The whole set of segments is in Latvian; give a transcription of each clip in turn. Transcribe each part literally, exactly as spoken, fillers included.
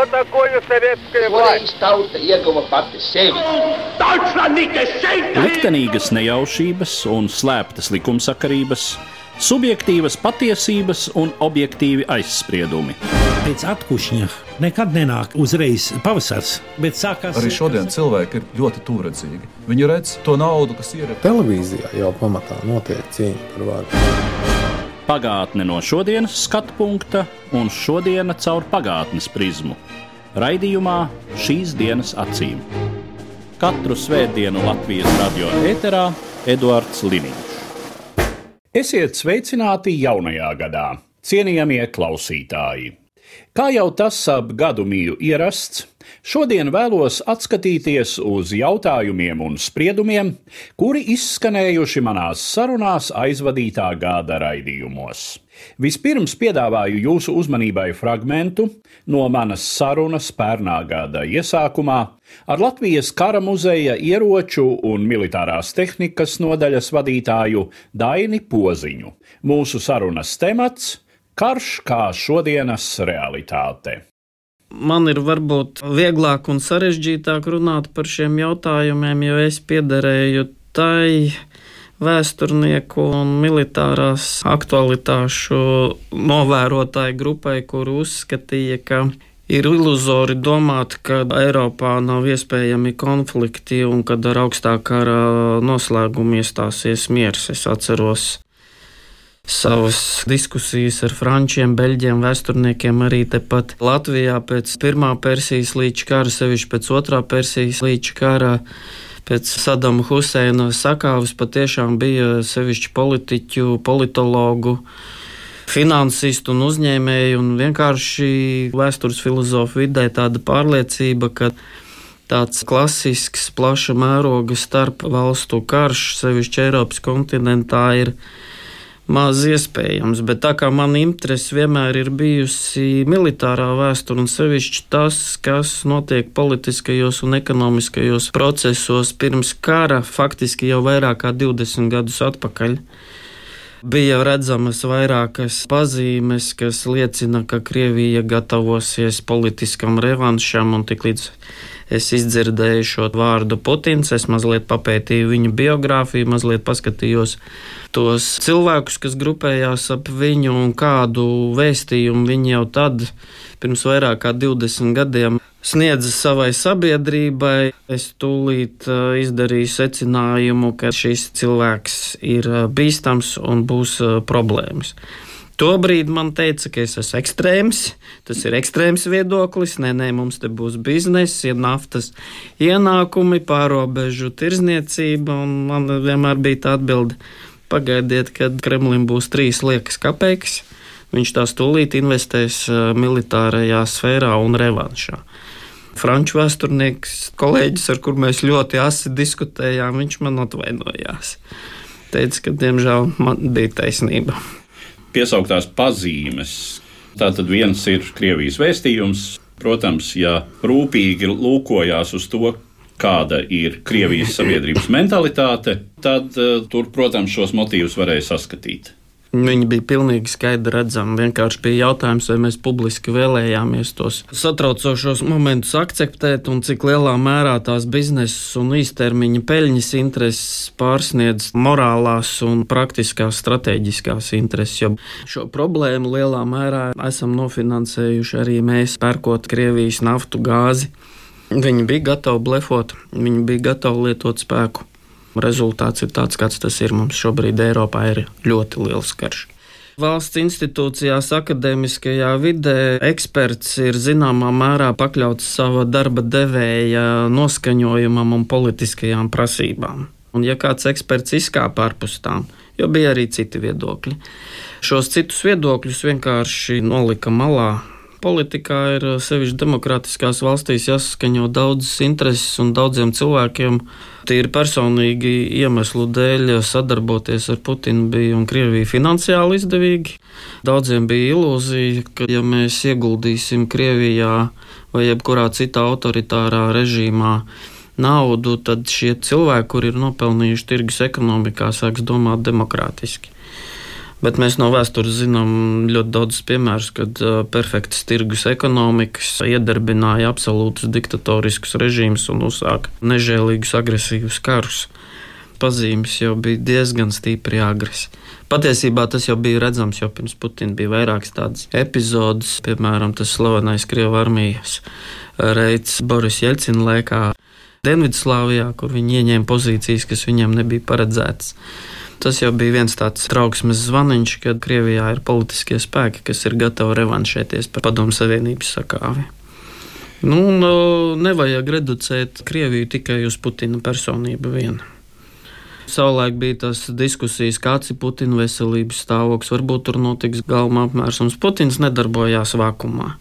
Что такое советская власть? Tauta ieguva pati sevi. Liktenīgas nejaušības un slēptas likumsakarības, subjektīvas patiesības un objektīvi aizspriedumi. Pēc atkušņa nekad nenāk uzreiz pavasars, bet sākās... Arī šodien cilvēki ir ļoti tūredzīgi. Viņi redz to naudu, kas ir... Televīzijā jau pamatā notiek cīņa par varu. Pagātne no šodienas skatu punkta un šodiena caur pagātnes prizmu. Raidījumā Šīs dienas acīm. Katru svētdienu Latvijas radio ēterā Eduards Liniņš. Esiet sveicināti jaunajā gadā, cienījamie klausītāji! Kā jau tas ap gadu mīju ierasts, šodien vēlos atskatīties uz jautājumiem un spriedumiem, kuri izskanējuši manās sarunās aizvadītā gada raidījumos. Vispirms piedāvāju jūsu uzmanībai fragmentu no manas sarunas pērnā gada iesākumā ar Latvijas Kara muzeja ieroču un militārās tehnikas nodaļas vadītāju Daini Poziņu. Mūsu sarunas temats – karš kā šodienas realitāte. Man ir varbūt vieglāk un sarežģītāk runāt par šiem jautājumiem, jo es piederēju tai vēsturnieku un militārās aktualitāšu novērotāju grupai, kur uzskatīja, ka ir iluzori domāt, ka Eiropā nav iespējami konflikti un kad ar augstā kara noslēgumu iestāsies miers. Es atceros savas diskusijas ar frančiem, beļģiem, vēsturniekiem arī tepat Latvijā pēc pirmā Persijas līča kara, sevišķi pēc otrā Persijas līča kara, pēc Sadama Huseina sakāves patiešām bija sevišķi politiķu, politologu, finansistu un uzņēmēju un vienkārši vēstures filozofu vidē tāda pārliecība, ka tāds klasisks plaša mēroga starp valstu karš, sevišķi Eiropas kontinentā, ir maz iespējams, bet tā kā man interese vienmēr ir bijusi militārā vēsture un sevišķi tas, kas notiek politiskajos un ekonomiskajos procesos pirms kara, faktiski jau vairāk kā divdesmit gadus atpakaļ, bija redzamas vairākas pazīmes, kas liecina, ka Krievija gatavosies politiskam revanšam, un tik līdz es izdzirdēju šo vārdu Putins, es mazliet papētīju viņu biogrāfiju, mazliet paskatījos tos cilvēkus, kas grupējās ap viņu un kādu vēstījumu viņi jau tad, pirms vairāk kā divdesmit gadiem, sniedza savai sabiedrībai. Es tūlīt izdarīju secinājumu, ka šis cilvēks ir bīstams un būs problēmas. Tobrīd man teica, ka es esmu ekstrēms, tas ir ekstrēms viedoklis, nē, nē, mums te būs bizness, ir naftas ienākumi, pārobežu tirzniecība, un man vienmēr bija tā atbilde, pagaidiet, kad Kremlim būs trīs liekas kapeikas, viņš tās tūlīt investēs militārajā sfērā un revanšā. Franču vēsturnieks, kolēģis, ar kur mēs ļoti asi diskutējām, viņš man atvainojās. Teica, ka diemžēl man bija taisnība. Piesauktās pazīmes. Tātad viens ir Krievijas vēstījums. Protams, ja rūpīgi lūkojās uz to, kāda ir Krievijas sabiedrības mentalitāte, tad uh, tur, protams, šos motīvus varēja saskatīt. Viņi bija pilnīgi skaidri redzami. Vienkārši bija jautājums, vai mēs publiski vēlējāmies tos satraucošos momentus akceptēt un cik lielā mērā tās biznesa un īstermiņa peļņas intereses pārsniedz morālās un praktiskās strateģiskās intereses. Jo šo problēmu lielā mērā esam nofinansējuši arī mēs, pērkot Krievijas naftu, gāzi. Viņi bija gatavi blefot, viņi bija gatavi lietot spēku. Rezultāts ir tāds, kāds tas ir. Mums šobrīd Eiropā ir ļoti liels karš. Valsts institūcijās, akadēmiskajā vidē eksperts ir zināmā mērā pakļauts sava darba devēja noskaņojumam un politiskajām prasībām. Un ja kāds eksperts izkāpa ārpus tām, jo bija arī citi viedokļi, šos citus viedokļus vienkārši nolika malā. Politikā ir sevišķi demokrātiskās valstīs jāsaskaņo daudzas intereses un daudziem cilvēkiem tīri personīgi iemeslu dēļ sadarboties ar Putinu bija un Krieviju finansiāli izdevīgi. Daudziem bija ilūzija, ka ja mēs ieguldīsim Krievijā vai jebkurā citā autoritārā režīmā naudu, tad šie cilvēki, kuri ir nopelnījuši tirgus ekonomikā, sāks domāt demokrātiski. Bet mēs no vēstures zinām ļoti daudz piemērus, kad perfektas tirgus ekonomikas iedarbināja absolūtus diktatoriskus režīmus un uzsāka nežēlīgus agresīvus karus. Pazīmes jau bija diezgan stipri agresīvi. Patiesībā tas jau bija redzams, jo pirms Putina bija vairākas tādas epizodes, piemēram, tas slavenais Krievu armijas reids Boris Jeļcina laikā Dienvidslāvijā, kur viņi ieņēma pozīcijas, kas viņiem nebija paredzētas. Tas jau bija viens tāds trauksmes zvaniņš, kad Krievijā ir politiskie spēki, kas ir gatavi revanšēties par Padomju Savienības sakāvi. Nu, nevajag reducēt Krieviju tikai uz Putina personību vienu. Savulaik bija tas diskusijas, kāds ir Putina veselības stāvoklis, varbūt tur notiks galma apmērsums. Putins nedarbojās vakumā.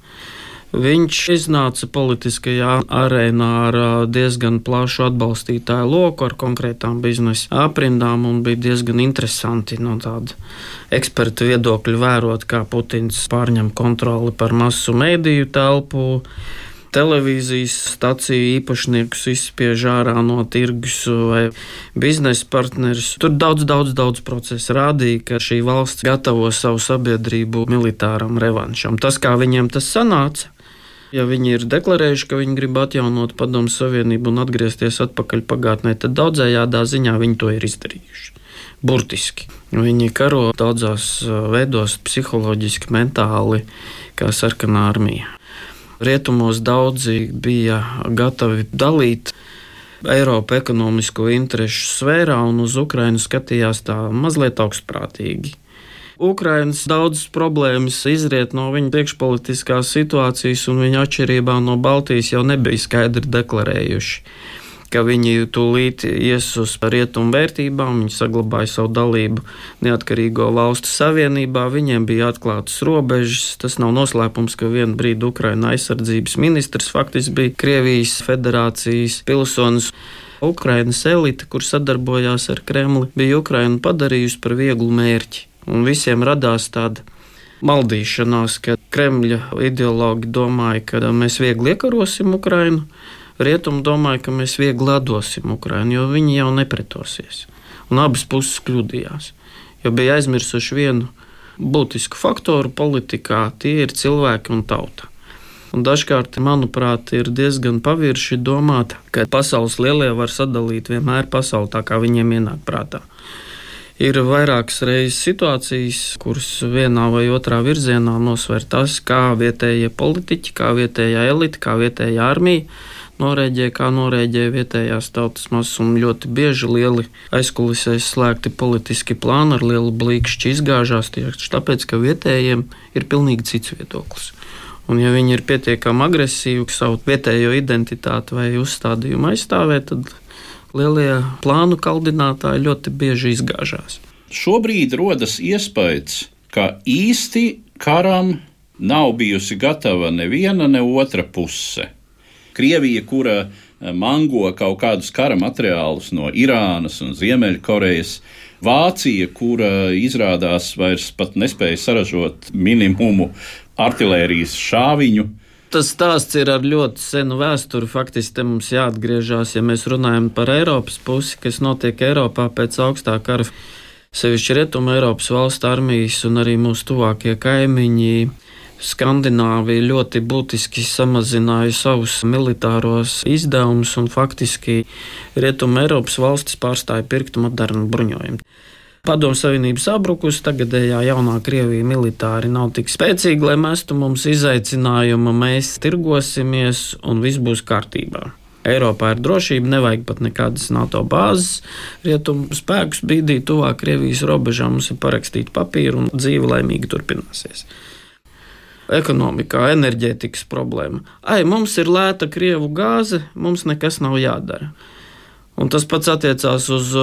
Viņš iznāca politiskajā arēnā ar diezgan plašu atbalstītāju loku, ar konkrētām biznesa aprindām, un bija diezgan interesanti no tāda ekspertu viedokļa vērot, kā Putins pārņem kontroli par masu mēdīju telpu, televīzijas staciju īpašniekus izspiež ārā no tirgus vai biznesa partnerus. Tur daudz, daudz, daudz procesu rādīja, ka šī valsts gatavo savu sabiedrību militāram revanšam. Tas, kā viņiem tas sanāca, ja viņi ir deklarējuši, ka viņi grib atjaunot Padomju Savienību un atgriezties atpakaļ pagātnē, tad daudzējādā ziņā viņi to ir izdarījuši. Burtiski. Viņi karo daudzās veidos psiholoģiski, mentāli, kā sarkanā armija. Rietumos daudzi bija gatavi dalīt Eiropu ekonomisko interešu sfērā un uz Ukrainu skatījās tā mazliet augstprātīgi. Ukrainas daudzas problēmas izriet no viņa priekšpolitiskās situācijas, un viņa atšķirībā no Baltijas jau nebija skaidri deklarējuši, ka viņi tūlīt ies uz rietumu vērtībām, viņi saglabāja savu dalību neatkarīgo valstu savienībā, viņiem bija atklātas robežas. Tas nav noslēpums, ka vienu brīdi Ukraina aizsardzības ministrs faktiski bija Krievijas federācijas pilsonis. Ukrainas elite, kur sadarbojās ar Kremli, bija Ukrainu padarījusi par vieglu mērķi. Un visiem radās tāda maldīšanās, ka Kremļa ideologi domāja, ka mēs viegli iekarosim Ukrainu, rietumi domāja, ka mēs viegli atdosim Ukrainu, jo viņi jau nepretosies. Un abas puses kļūdījās, jo bija aizmirsuši vienu būtisku faktoru politikā, tie ir cilvēki un tauta. Un dažkārt, manuprāt, ir diezgan pavirši domāt, ka pasaules lielie var sadalīt vienmēr pasauli tā, kā viņiem ienāk prātā. Ir vairākas reizes situācijas, kuras vienā vai otrā virzienā nosver tas, kā vietējie politiķi, kā vietējā elite, kā vietējā armija norēģē, kā norēģē vietējās tautas masas, un ļoti bieži lieli aizkulisēs slēgti politiski plāni ar lielu blīkšķi izgāžās tieši tāpēc, ka vietējiem ir pilnīgi cits viedoklis. Un ja viņi ir pietiekami agresīvi savu vietējo identitāti vai uzstādījumu aizstāvēt, tad lielie plānu kaldinātāji ļoti bieži izgāžās. Šobrīd rodas iespējas, ka īsti karam nav bijusi gatava neviena, ne otra puse. Krievija, kura mango kaut kādus kara materiālus no Irānas un Ziemeļkorejas, Vācija, kura izrādās vairs pat nespēja saražot minimumu artilērijas šāviņu. Tas stāsts ir ar ļoti senu vēsturi. Faktiski te mums jāatgriežās, ja mēs runājam par Eiropas pusi, kas notiek Eiropā pēc augstā kara. Sevišķi Rietuma Eiropas valstu armijas un arī mūsu tuvākie kaimiņi Skandināvija ļoti būtiski samazināja savus militāros izdevumus, un faktiski Rietuma Eiropas valstis pārstāja pirkt modernu bruņojumu. Padomju Savienības sabrukus, tagadējā jaunā Krievija militāri nav tik spēcīga, lai mestu mums izaicinājumu, mēs tirgosimies un viss būs kārtībā. Eiropā ir drošība, nevajag pat nekādas NATO bāzes, rietumu spēkus bīdīt tuvāk Krievijas robežām, mums ir parakstīt papīru un dzīve laimīgi turpināsies. Ekonomikā, enerģētikas problēma. Ai, mums ir lēta Krievu gāze, mums nekas nav jādara. Un tas pats attiecās uz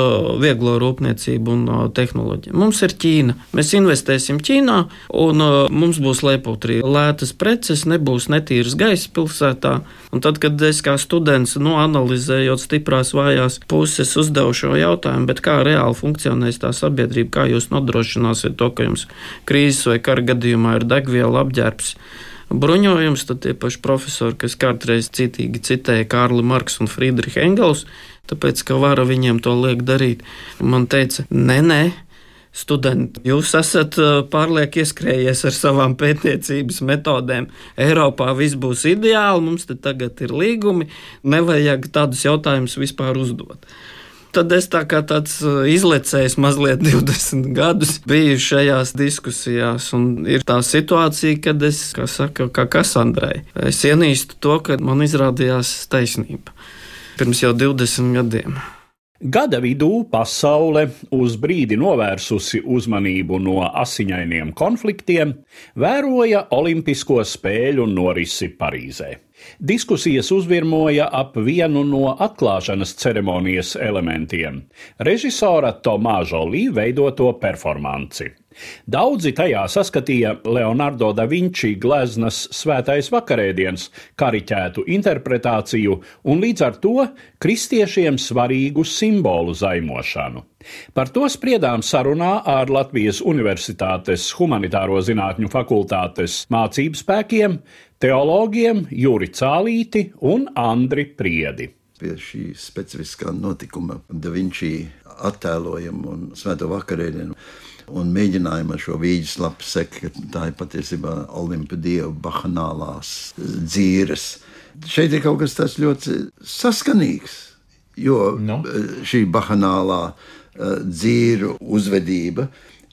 vieglo rūpniecību un tehnoloģiju. Mums ir Ķīna. Mēs investēsim Ķīnā, un mums būs lepūtrī lētas preces, nebūs netīras gaisa pilsētā. Un tad, kad es kā students, nu, analizējot stiprās vājās puses, uzdevu šo jautājumu, bet kā reāli funkcionēs tā sabiedrība, kā jūs nodrošināsiet to, ka jums krīzes vai kara gadījumā ir degviela, apģērbs, bruņojums, tad tie paši profesori, kas kādreiz citīgi citēja Kārli Marks un Friedrihu Engels, tāpēc, ka vara viņiem to liek darīt, man teica, nē, nē, studenti, jūs esat pārlieku ieskrējies ar savām pētniecības metodēm. Eiropā viss būs ideāli, mums te tagad ir līgumi, nevajag tādus jautājumus vispār uzdot. Tad es tā kā tāds izlecējis mazliet divdesmit gadus biju šajās diskusijās, un ir tā situācija, kad es, kā saka, kā Kasandrai, es ienīstu to, ka man izrādījās taisnība pirms jau divdesmit gadiem. Gada vidū pasaule uz brīdi novērsusi uzmanību no asiņainiem konfliktiem, vēroja Olimpisko spēļu norisi Parīzē. Diskusijas uzvirmoja ap vienu no atklāšanas ceremonijas elementiem – režisora Tomā Žolī veidoto performanci. Daudzi tajā saskatīja Leonardo da Vinci gleznas Svētais vakarēdiens kariķētu interpretāciju un līdz ar to kristiešiem svarīgu simbolu zaimošanu. Par to spriedām sarunā ar Latvijas Universitātes Humanitāro zinātņu fakultātes mācību spēkiem, teologiem Juri Cālīti un Andri Priedi. Pie šī specifiskā notikuma Da Vinci attēlojumu un Svēto vakarēdienu un mēģinājumu ar šo vīģes lapu sekt, ka tā ir patiesībā Olimpa dievu bahanālās dzīres. Šeit ir kaut kas tāds ļoti saskanīgs, jo no. šī bahanālā dzīru uzvedība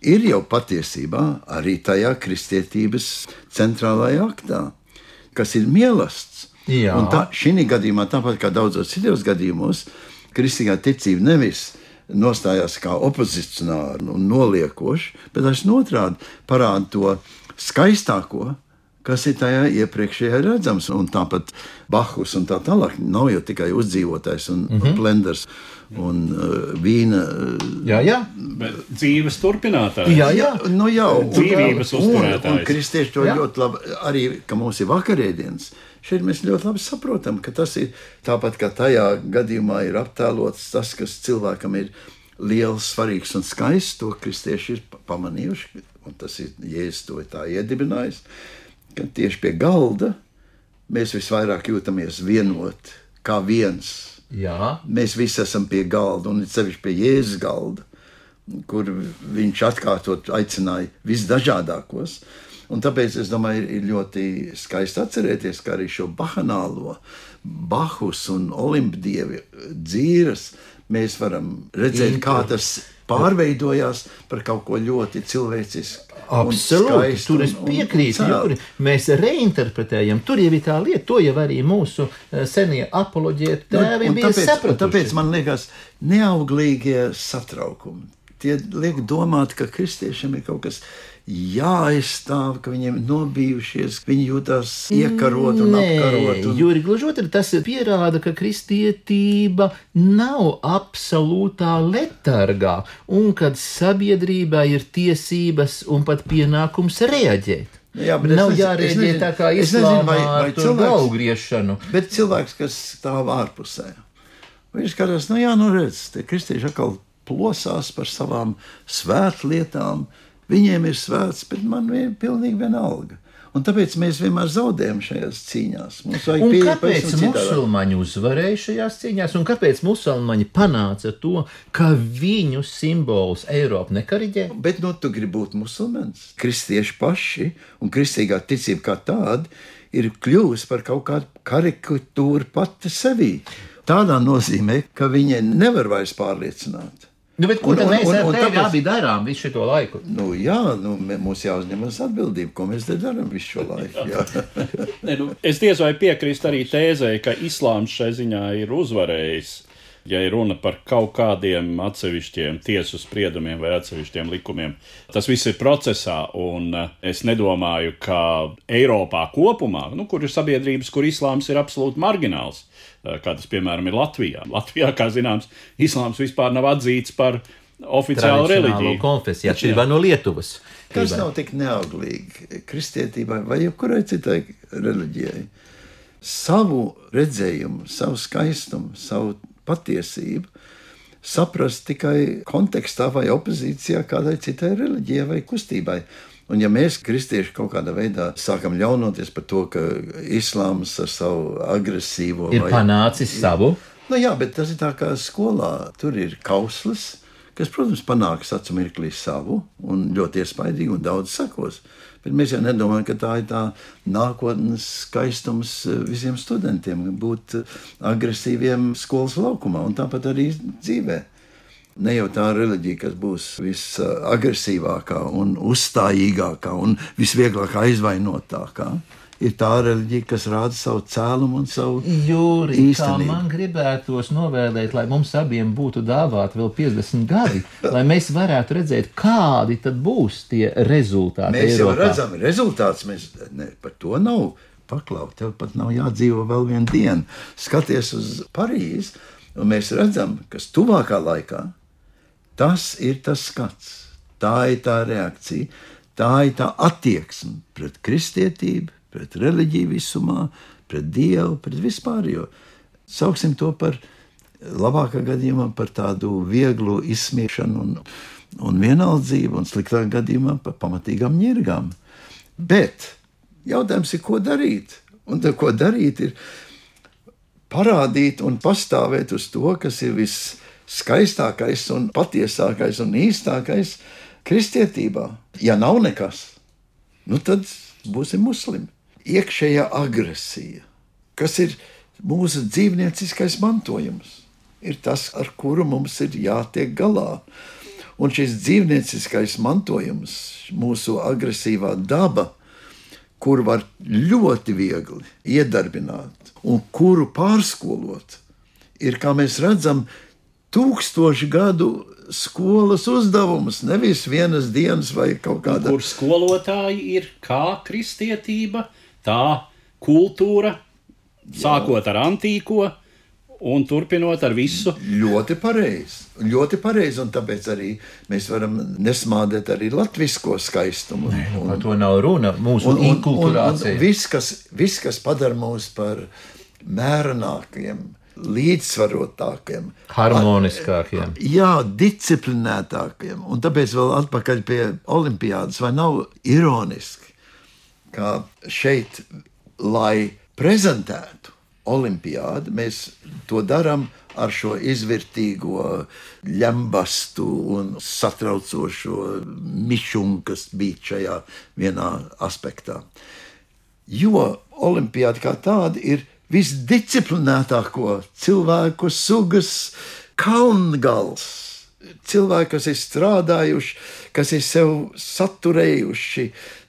ir jau patiesībā arī tajā kristietības centrālajā aktā, kas ir mielasts. Jā. Un tā, šī gadījumā, tāpat kā daudzos citos gadījumos, kristīgā ticība nevis nostājās kā opozicionāri un noliekoši, bet es notrādi parāda to skaistāko, kas ir tajā iepriekšējā redzams. Un tāpat Bachus un tā tālāk nav jau tikai uzdzīvotais un mm-hmm. blenders un uh, vīna. Uh, jā, jā. Bet dzīves turpinātājs. Jā, jā. Nu, jā. Dzīvības uzturētājs. Un, un kristieši to jā. ļoti labi, arī, ka mums ir vakarēdienas. Šeit mēs ļoti labi saprotam, ka tas ir tāpat, kā tajā gadījumā ir aptēlots tas, kas cilvēkam ir liels, svarīgs un skaists, to kristieši ir pamanījuši, un tas ir Jēzus to tā iedibinājis, ka tieši pie galda mēs visvairāk jūtamies vienot, kā viens. Jā. Mēs visi esam pie galda, un sevišķi pie Jēzus galda, kur viņš atkārtot aicināja visdažādākos. Un tāpēc, es domāju, ir ļoti skaisti atcerēties, ka arī šo bahanālo Bachus un Olimpdievi dzīves mēs varam redzēt, kā tas pārveidojās par kaut ko ļoti cilvēcisku. Absolūti, tur es piekrītu, Juri. Mēs reinterpretējam, tur jau ir tā lieta, to jau arī mūsu senie apoloģēti tēvi bija sapratuši. Tāpēc man liekas, neauglīgie satraukumi. Tie liek domāt, ka kristiešiem ir kaut kas jāaizstāv, ka viņiem nobijušies, viņi jūtās iekarot un Nē, apkarot. Un... Juri, gluži otrādi, tas pierāda, ka kristietība nav absolūtā letargā, un kad sabiedrībā ir tiesības un pat pienākums reaģēt. Jā, nav jārēģē tā kā islāmā ar to galvgriešanu. Bet cilvēks, kas stāv ārpusē, viņš skatās, nu jā, nu redz, tie kristieši atkal plosās par savām svētlietām. Viņiem ir svēts, bet man ir pilnīgi vienalga. Un tāpēc mēs vienmēr zaudējam šajās cīņās. Un kāpēc musulmaņi uzvarēja šajās cīņās? Un kāpēc musulmaņi panāca to, ka viņu simbols Eiropa nekariģē? Bet nu, tu gribi būt musulmanis. Kristieši paši un kristīgā ticība kā tāda ir kļuvusi par kaut kādu karikatūru pati sevī. Tādā nozīmē, ka viņi nevar vairs pārliecināt. Nu, bet ko tad mēs ar tevi abi darām visu šo laiku? Nu, jā, nu, mums jāuzņemas atbildība, ko mēs te darām visu šo laiku. ne, nu, es diez vai piekrīstu arī tēzei, ka islāms šai ziņā ir uzvarējis, ja ir runa par kaut kādiem atsevišķiem tiesu spriedumiem vai atsevišķiem likumiem. Tas viss ir procesā, un es nedomāju, ka Eiropā kopumā, nu, kur ir sabiedrības, kur islāms ir absolūti margināls, kā tas, piemēram, ir Latvijā. Latvijā, kā zināms, islāms vispār nav atzīts par oficiālu reliģiju. Konfesiju, atšķirībā no Lietuvas. Kas nav tik neauglīgi kristietībai vai jebkurai citai reliģijai? Savu redzējumu, savu skaistumu, savu patiesību saprast tikai kontekstā vai opozīcijā kādai citai reliģijai vai kustībai. Un ja mēs, kristieši, kaut kādā veidā sākam ļaunoties par to, ka islāms ar savu agresīvo... Ir vai... panācis savu? Nu jā, bet tas ir tā kā skolā. Tur ir kauslis, kas, protams, panāks acu mirklī savu un ļoti iespaidīgi un daudz sakos. Bet mēs jau nedomājam, ka tā ir tā nākotnes skaistums visiem studentiem, būt agresīviem skolas laukumā un tāpat arī dzīvē. Ne jau tā reliģija, kas būs visagresīvākā un uzstājīgākā un visvieglāk aizvainotākā, ir tā reliģija, kas rāda savu cēlumu un savu Jūri, īstenību. kā man gribētos novēlēt, lai mums abiem būtu dāvāti vēl piecdesmit gadi, lai mēs varētu redzēt, kādi tad būs tie rezultāti. Mēs jau Eiropā. redzam rezultātus, mēs ne, par to nav paklaut, tev pat nav jādzīvo vēl vienu dienu. Skaties uz Parīzi, un mēs redzam, kas tuvākā laikā, tas ir tas skats, tā ir tā reakcija, tā ir tā attieksme pret kristietību, pret reliģiju visumā, pret Dievu, pret vispārējo. Sauksim to par labākā gadījumā par tādu vieglu izsmiešanu un, un vienaldzību, un sliktākā gadījumā par pamatīgām ņirgām. Bet jautājums ir, ko darīt? Un tā, ko darīt, ir parādīt un pastāvēt uz to, kas ir visskaistākais un patiesākais un īstākais kristietībā. Ja nav nekas, nu tad būsim muslimi. Iekšējā agresija, kas ir mūsu dzīvnieciskais mantojums, ir tas, ar kuru mums ir jātiek galā. Un šis dzīvnieciskais mantojums, mūsu agresīvā daba, kur var ļoti viegli iedarbināt un kuru pārskolot, ir, kā mēs redzam, tūkstoši gadu skolas uzdevums, nevis vienas dienas vai kaut kāda. Kur skolotāji ir kā kristietība, tā kultūra, sākot ar antīko un turpinot ar visu. Ļoti pareizi, ļoti pareizi, un tāpēc arī mēs varam nesmādēt arī latvisko skaistumu. Nē, un, par to nav runa, mūsu un, un, inkulturācija. un, un viss, kas, viss, kas padara mūs par mērenākiem, līdzsvarotākiem, harmoniskākiem. Jā, disciplinētākiem. Un tāpēc vēl atpakaļ pie olimpiādas, vai nav ironiski, kā šeit, lai prezentētu olimpiādu, mēs to darām ar šo izvērtīgo ļambastu un satraucošo mišumu, kas bija šajā vienā aspektā. Jo olimpiāda kā tāda ir visdisciplinētāko cilvēku sugas kalngals. Cilvēki, kas ir strādājuši, kas ir sev saturējuši,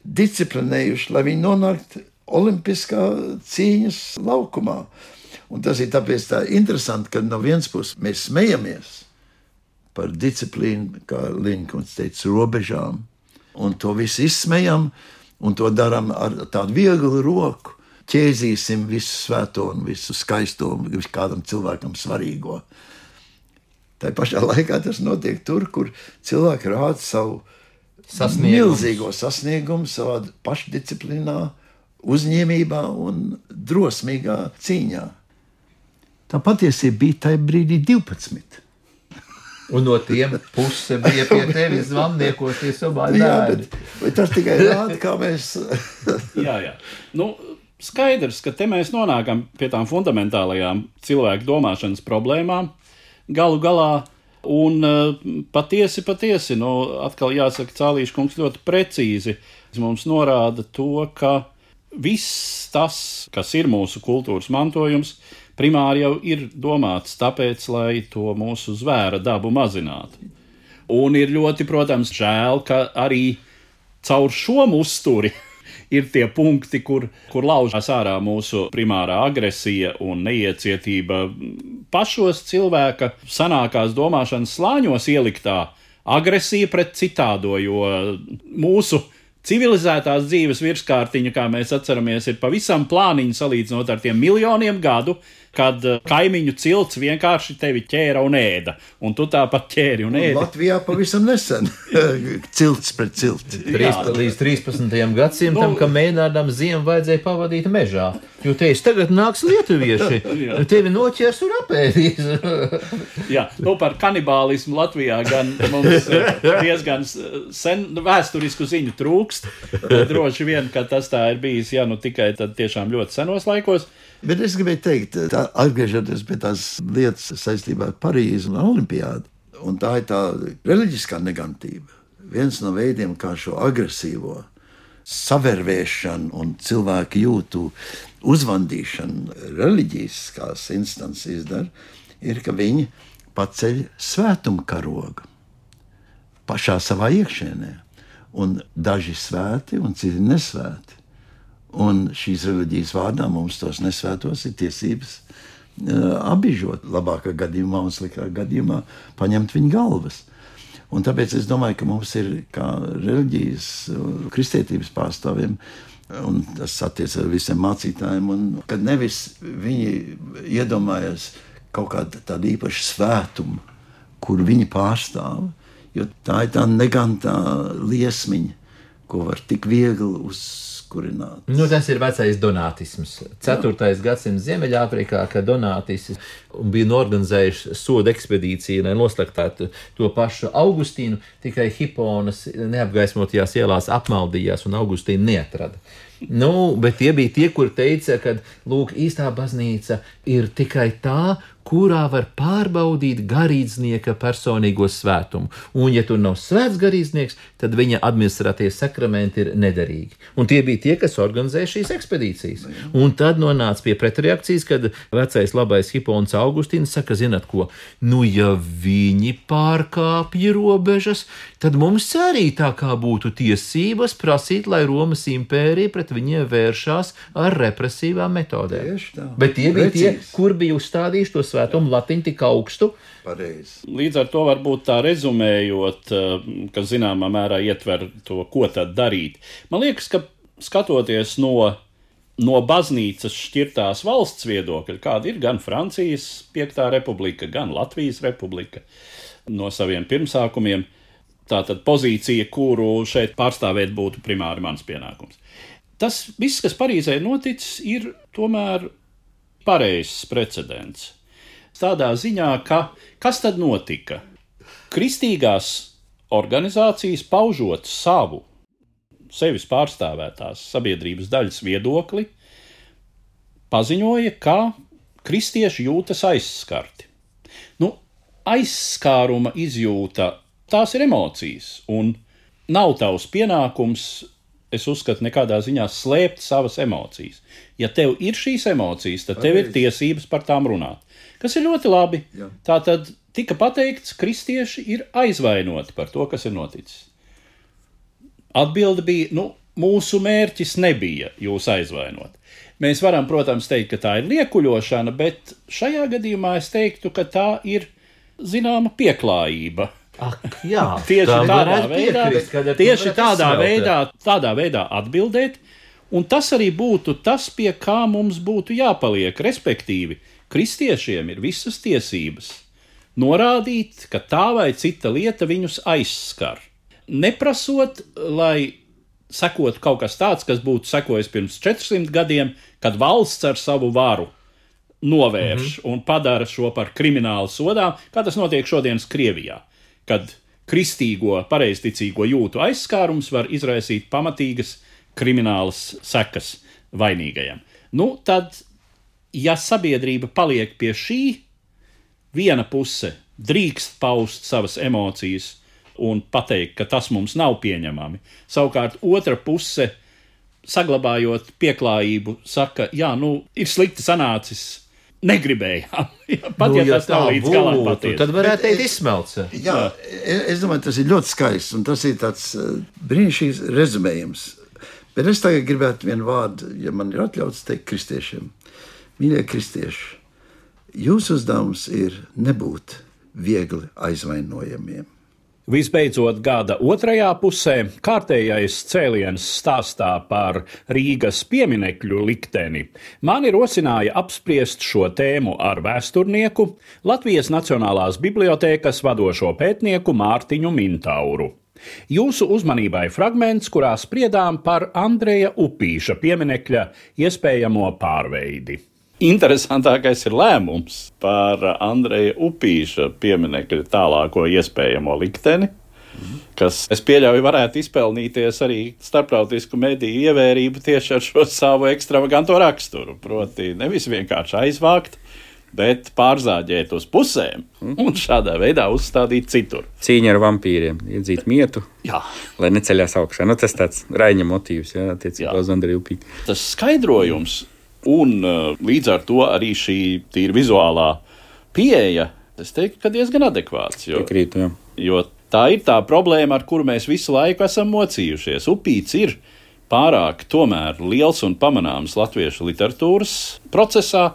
disciplinējuši, lai viņi nonāktu olimpiskā cīņas laukumā. Un tas ir tāpēc tā interesanti, ka no vienas puses mēs smejamies par disciplīnu, kā Linkolns teica, robežām, un to visu izsmejam, un to darām ar tādu vieglu roku. Ķēzīsim visu svēto un visu skaisto, visu kādam cilvēkam svarīgo. Tā pašā laikā tas notiek tur, kur cilvēki rāda savu milzīgo sasniegumu, savā pašdisciplīnā, uzņēmībā un drosmīgā cīņā. Tā patiesība bija tajā brīdī divpadsmit. Un no tiem puse bija pie tevis zvannniekos, tie sobāļi Jā, bērni. bet, bet tas tikai rāda, kā mēs... jā, jā. Nu, skaidrs, ka te mēs nonākam pie tām fundamentālajām cilvēku domāšanas problēmām galu galā, un patiesi, patiesi, nu, atkal jāsaka, Cālīša kungs ļoti precīzi mums norāda to, ka viss tas, kas ir mūsu kultūras mantojums, primāri jau ir domāts tāpēc, lai to mūsu zvēra dabu mazinātu. Un ir ļoti, protams, žēl, ka arī caur šo uzturi ir tie punkti, kur, kur laužās ārā mūsu primārā agresija un neiecietība pašos cilvēka sanākās domāšanas slāņos ieliktā agresija pret citādo, jo mūsu civilizētās dzīves virskārtiņa, kā mēs atceramies, ir pavisam plāniņa salīdzinot ar tiem miljoniem gadu, kad kaimiņu cilts vienkārši tevi ķēra un ēda, un tu tāpat ķēri un ēdi. Latvijā pavisam nesen cilts pret cilti. Trīs, līdz trīspadsmitajam gadsimtam, nu, ka mēnādam ziemu vajadzēja pavadīt mežā, jo teiks, tagad nāks lietuvieši, tevi noķers un apēdīs. Jā, nu par kanibālismu Latvijā gan mums diezgan sen vēsturisku ziņu trūkst, droši vien, ka tas tā ir bijis, ja nu tikai tad tiešām ļoti senos laikos. Bet es gribēju teikt, tā, atgriežoties pie tās lietas saistībā ar Parīzi un Olimpiādu, Un tā ir tā reliģiskā negantība. Viens no veidiem, kā šo agresīvo savervēšanu un cilvēku jūtu uzvandīšanu reliģiskās instances izdara, ir, ka viņi paceļ svētuma karogu pašā savā iekšienē. Un daži svēti un citi nesvēti. Un šīs reliģijas vārdā mums tos nesvētos ir tiesības uh, abižot. Labākā gadījumā un sliktākā gadījumā paņemt viņu galvas. Un tāpēc es domāju, ka mums ir kā reliģijas, kristietības pārstāvjiem, un tas attiec ar visiem mācītājiem, un kad nevis viņi iedomājas kaut kādu tādu īpašu svētumu, kur viņi pārstāv, jo tā ir tā negantā liesmiņa, ko var tik viegli uzkurināt. Nu, tas ir vecais donātisms. ceturtais gadsimts Ziemeļāfrikā, kad donātisti bija norganizējuši soda ekspedīciju, lai noslaktētu to pašu Augustīnu, tikai Hiponas neapgaismotajās ielās apmaldījās un Augustīnu neatrada. Nu, bet tie bija tie, kur teica, ka, lūk, īstā baznīca ir tikai tā, kurā var pārbaudīt garīdznieka personīgo svētumu. Un, ja tur nav svēts garīdznieks, tad viņa administratīvie sakramenti ir nederīgi. Un tie bija tie, kas organizēja šīs ekspedīcijas. Un tad nonāca pie pretreakcijas, kad vecais labais Hipons Augustīns saka, zināt ko, nu, ja viņi pārkāpja robežas, tad mums arī tā kā būtu tiesības prasīt, lai Romas impērija pret viņiem vēršās ar represīvām metodēm. Bet tie bija tie, kur bija uzstādījuši to svētumu latiņu tik augstu. Pareizi. Līdz ar to varbūt tā rezumējot, kas zināmā mērā ietver to, ko tad darīt. Man liekas, ka skatoties no, no baznīcas šķirtās valsts viedokļa, kāda ir gan Francijas piektā republika, gan Latvijas republika no saviem pirmsākumiem, tātad pozīcija, kuru šeit pārstāvēt būtu primāri mans pienākums. Tas viss, kas Parīzē noticis, ir tomēr pareizs precedents. Tādā ziņā, ka kas tad notika? Kristīgās organizācijas paužot savu, sevis pārstāvētās sabiedrības daļas viedokli, paziņoja, ka kristieši jūtas aizskarti. Nu, aizskāruma izjūta, tās ir emocijas, un nav tavs pienākums, es uzskatu, nekādā ziņā slēpt savas emocijas. Ja tev ir šīs emocijas, tad tev ir tiesības par tām runāt. Kas ir ļoti labi. Jā. Tātad tika pateikts, kristieši ir aizvainoti par to, kas ir noticis. Atbilde bija, nu, mūsu mērķis nebija jūs aizvainot. Mēs varam, protams, teikt, ka tā ir liekuļošana, bet šajā gadījumā es teiktu, ka tā ir zināma pieklājība. Ak, jā, tieši tā tādā veidā, piekrist, tieši tādā veidā, tādā veidā atbildēt, un tas arī būtu tas, pie kā mums būtu jāpaliek, respektīvi, kristiešiem ir visas tiesības norādīt, ka tā vai cita lieta viņus aizskar. Neprasot, lai sekotu kaut kas tāds, kas būtu sekojis pirms četrsimt gadiem, kad valsts ar savu varu novērš mm-hmm. un padara šo par kriminālu sodām, kā tas notiek šodienas Krievijā, kad kristīgo, pareizticīgo jūtu aizskārums var izraisīt pamatīgas kriminālas sekas vainīgajam. Nu, tad, ja sabiedrība paliek pie šī, viena puse drīkst paust savas emocijas un pateikt, ka tas mums nav pieņemami. Savukārt otra puse, saglabājot pieklājību, saka, jā, nu, ir slikti sanācis, negribējām. Pat, nu, ja tas nav līdz galam patiesi. Tad varētu teikt izsmelts. Jā, es domāju, tas ir ļoti skaists, un tas ir tāds brīnišķīgs rezumējums. Bet es tagad gribētu vienu vārdu, ja man ir atļauts teikt kristiešiem. Mīļie kristieši, jūsu uzdevums ir nebūt viegli aizvainojamiem. Visbeidzot, gada otrajā pusē kārtējais cēliens stāstā par Rīgas pieminekļu likteni mani rosināja apspriest šo tēmu ar vēsturnieku, Latvijas Nacionālās bibliotēkas vadošo pētnieku Mārtiņu Mintauru. Jūsu uzmanībai fragments, kurā spriedām par Andreja Upīša pieminekļa iespējamo pārveidi. Interesantākais ir lēmums par Andreja Upīša pieminekļa tālāko iespējamo likteni, kas, es pieļauju, varētu izpelnīties arī starptautisku mediju ievērību tieši ar šo savu ekstravaganto raksturu. Proti, nevis vienkārši aizvākt, bet pārzāģēt uz pusēm un šādā veidā uzstādīt citur. Cīņa ar vampīriem, iedzīt mietu, jā. Lai neceļās augšā. Nu, tas tāds Raiņa motīvs, jā, attiecībā uz Andreju Upīti. Tas skaidrojums un līdz ar to arī šī tīri vizuālā pieeja, es teiktu, ka diezgan adekvāts. Jo, Piekrīt, jā. Jo tā ir tā problēma, ar kuru mēs visu laiku esam mocījušies. Upīts ir pārāk tomēr liels un pamanāms latviešu literatūras procesā.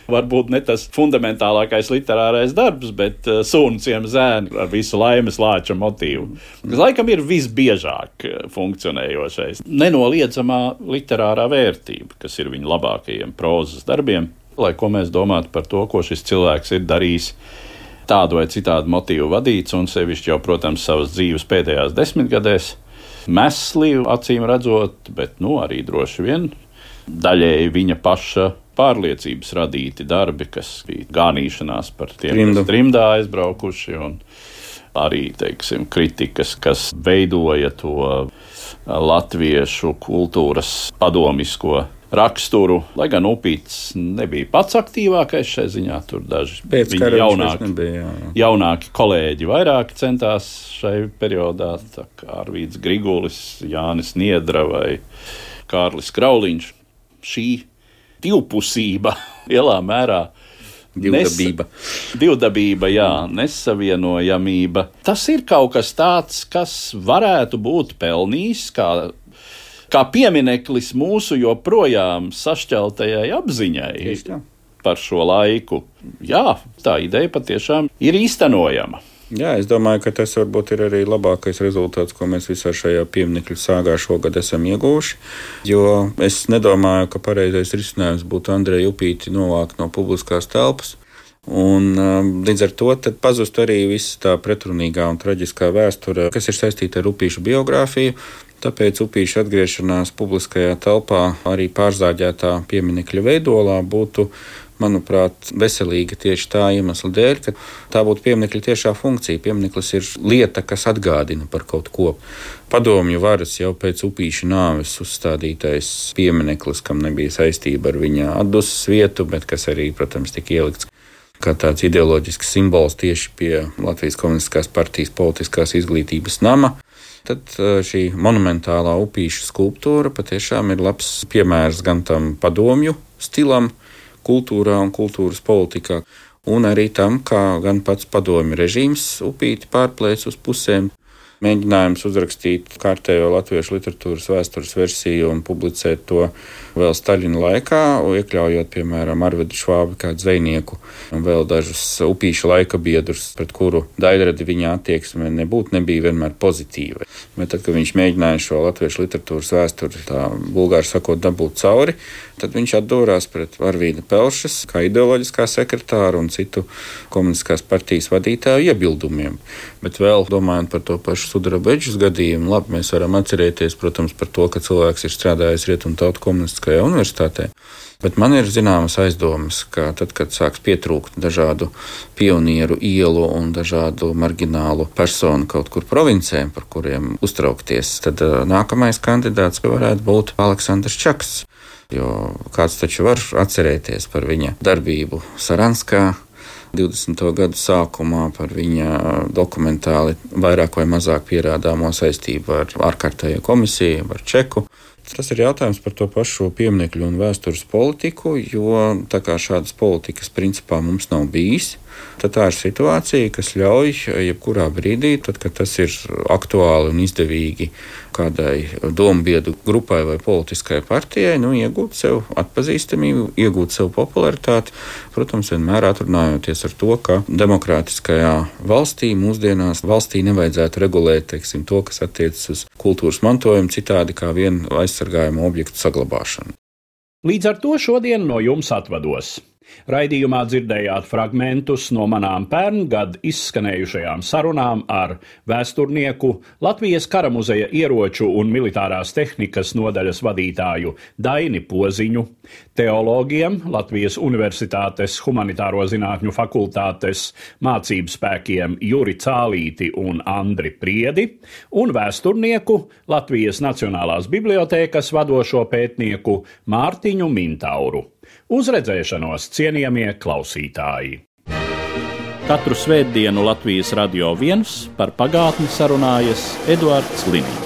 Varbūt ne tas fundamentālākais literārais darbs, bet uh, Sūnciem zēni ar visu Laimes Lāča motīvu. Tas laikam ir visbiežāk funkcionējošais. Nenoliedzamā literārā vērtība, kas ir viņa labākajiem prozas darbiem, lai ko mēs domātu par to, ko šis cilvēks ir darījis tādu vai citādu motīvu vadīts, un sevišķi jau, protams, savas dzīves pēdējās desmitgadēs. Mesli, acīm redzot, bet nu, arī droši vien daļēji viņa paša pārliecības radīti darbi, kas bija gānīšanās par tiem, Trimdu. kas trimdā aizbraukuši, un arī, teiksim, kritikas, kas veidoja to latviešu kultūras padomisko raksturu, lai gan Upīts nebija pats aktīvākais šai ziņā, tur daži viņa jaunāki, nebija, jā, jā. jaunāki kolēģi vairāk centās šai periodā, tā kā Arvīds Grigulis, Jānis Niedra vai Kārlis Krauliņš. Šī divpusība lielā mērā Divdabība. Nes, divdabība, jā, nesavienojamība. Tas ir kaut kas tāds, kas varētu būt pelnījis kā kā piemineklis mūsu joprojām sašķeltajai apziņai par šo laiku. Jā, tā ideja patiešām ir īstenojama. Jā, es domāju, ka tas varbūt ir arī labākais rezultāts, ko mēs visā šajā pieminekļu sāgā šogad esam ieguvuši, jo es nedomāju, ka pareizais risinājums būtu Andreju Upīti novākt no publiskās telpas. Un līdz ar to pazust arī viss tā pretrunīgā un traģiskā vēsture, kas ir saistīta ar Upīšu biogrāfiju. Tāpēc Upīša atgriešanās publiskajā telpā arī pārzāģētā pieminekļa veidolā būtu, manuprāt, veselīga tieši tā iemesla dēļ, ka tā būtu pieminekļa tiešā funkcija. Piemineklis ir lieta, kas atgādina par kaut ko. Padomju varas jau pēc Upīša nāves uzstādītais piemineklis, kam nebija saistība ar viņa atdusmas vietu, bet kas arī, protams, tika ielikts kā tāds ideoloģisks simbols tieši pie Latvijas Komunistiskās partijas politiskās izglītības nama. Tad šī monumentālā Upīša skulptūra patiešām ir labs piemērs gan tam padomju stilam, kultūrā un kultūras politikā, un arī tam, kā gan pats padomju režīms Upīti pārplēc uz pusēm. Mēģinājums uzrakstīt kārtējo latviešu literatūras vēstures versiju un publicēt to vēl Staļina laikā, iekļaujot, piemēram, Arvedu Švābi kā dzejnieku un vēl dažus Upīša laika biedrus, pret kuru daļradi viņa attieksme nebūtu nebija vienmēr pozitīva. Bet tad, kad viņš mēģināja šo latviešu literatūras vēsturi, tā bulgāri sakot, dabūt cauri, tad viņš atdūrās pret Arvīda Pelšas kā ideoloģiskā sekretāra un citu komunistiskās partijas vadītāju iebildumiem. Bet vēl domājot par to pašu Sudrabeģis gadījumu, labi, mēs varam atcerēties, protams, par to, ka cilvēks ir strādājis Rietumtautu komunistiskajā universitātē. Bet man ir zināmas aizdomas, ka tad, kad sāks pietrūkt dažādu pionieru ielu un dažādu marginālu personu kaut kur provincē, par kuriem uztraukties, tad nākamais kandidāts varētu būt Aleksandrs Čaks. Jo kāds taču var atcerēties par viņa darbību Saranskā divdesmito gadu sākumā, par viņa dokumentāli vairāk vai mazāk pierādāmo saistību ar ārkārtējo komisiju, ar Čeku. Tas ir jautājums par to pašu pieminekļu un vēstures politiku, jo tā kā šādas politikas principā mums nav bijis, tad tā ir situācija, kas ļauj jebkurā brīdī, tad, kad tas ir aktuāli un izdevīgi kādai dombiedru grupai vai politiskai partijai, nu, iegūt sev atpazīstamību, iegūt sev popularitāti, protams, vienmēr atrunājoties ar to, ka demokrātiskajā valstī mūsdienās valstī nevajadzētu regulēt, teiksim, to, kas attiecas uz kultūras mantojumu citādi kā vienu aizsargājumu objektu saglabāšanu. Līdz ar to šodien no jums atvados. Raidījumā dzirdējāt fragmentus no manām pērngad izskanējušajām sarunām ar vēsturnieku, Latvijas Kara muzeja ieroču un militārās tehnikas nodaļas vadītāju Daini Poziņu, teologiem, Latvijas Universitātes humanitāro zinātņu fakultātes mācību spēkiem Juri Cālīti un Andri Priedi, un vēsturnieku, Latvijas Nacionālās bibliotēkas vadošo pētnieku Mārtiņu Mintauru. Uz redzēšanos, cienījamie klausītāji! Katru svētdienu Latvijas Radio viens par pagātni sarunājas Eduards Liniņš.